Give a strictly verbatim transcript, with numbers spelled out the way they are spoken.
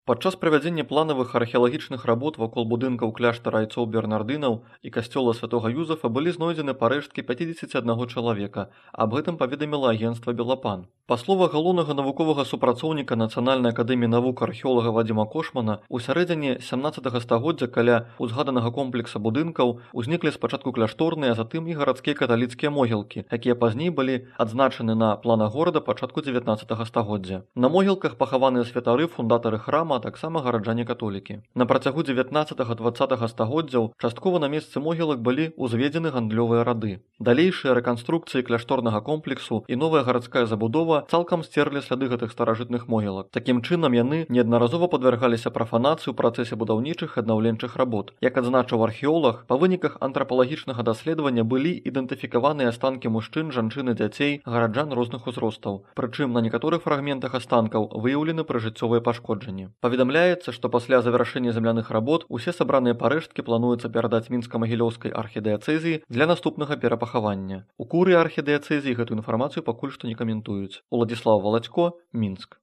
Падчас правядзення планавых археалагічных работ вакол будынкаў кляштара айцоў бернардынаў і касцёла святога Юзафа былі знойдзены парэшткі пяцідзесяці аднаго чалавека. Аб гэтым паведаміла агенцтва «Белапан». Па словах галоўнага навуковага супрацоўніка Нацыянальнай акадэміі навук археолага Вадзіма Кошмана, у сярэдзіне сямнаццатага стагоддзя каля узгаданага комплекса будынкаў узніклі спачатку кляшторныя, а затым і гарадскія каталіцкія могілкі, якія пазней былі адзначаны на планах горада пачатку дзевятнаццатага стагоддзя. На могілках пахаваныя святары, фундатары храма, а таксама гараджане-католікі. На працягу дзевятнаццатага-дваццатага стагоддзяў часткова на месцы могілак былі ўзведзены гандлёвыя рады. Далейшыя рэканструкцыі кляшторнага комплексу і новая гарадская забудова цалкам сцерлі сляды гэтых старажытных могілак. Такім чынам яны неаднаразова падвяргаліся прафанацыі ў працэсе будаўнічых і аднаўленчых работ. Як адзначыў археолаг, па выніках антрапалагічнага даследавання былі ідэнтыфікаваныя астанкі мужчын, жанчын і дзяцей, гараджан розных узростаў. Прычым на некаторых фрагментах астанкаў выяўлены прыжыццёвыя пашкоджанні. Паведамляецца, што пасля завяршэння земляных работ усе сабраныя парэшткі плануецца перадаць мінска-магілёўскай архідыяцэзіі для наступнага перапахавання. У курыі архідыяцэзіі гэтую інфармацыю пакуль што не каментуюць. Уладзіслаў Валацько, Мінск.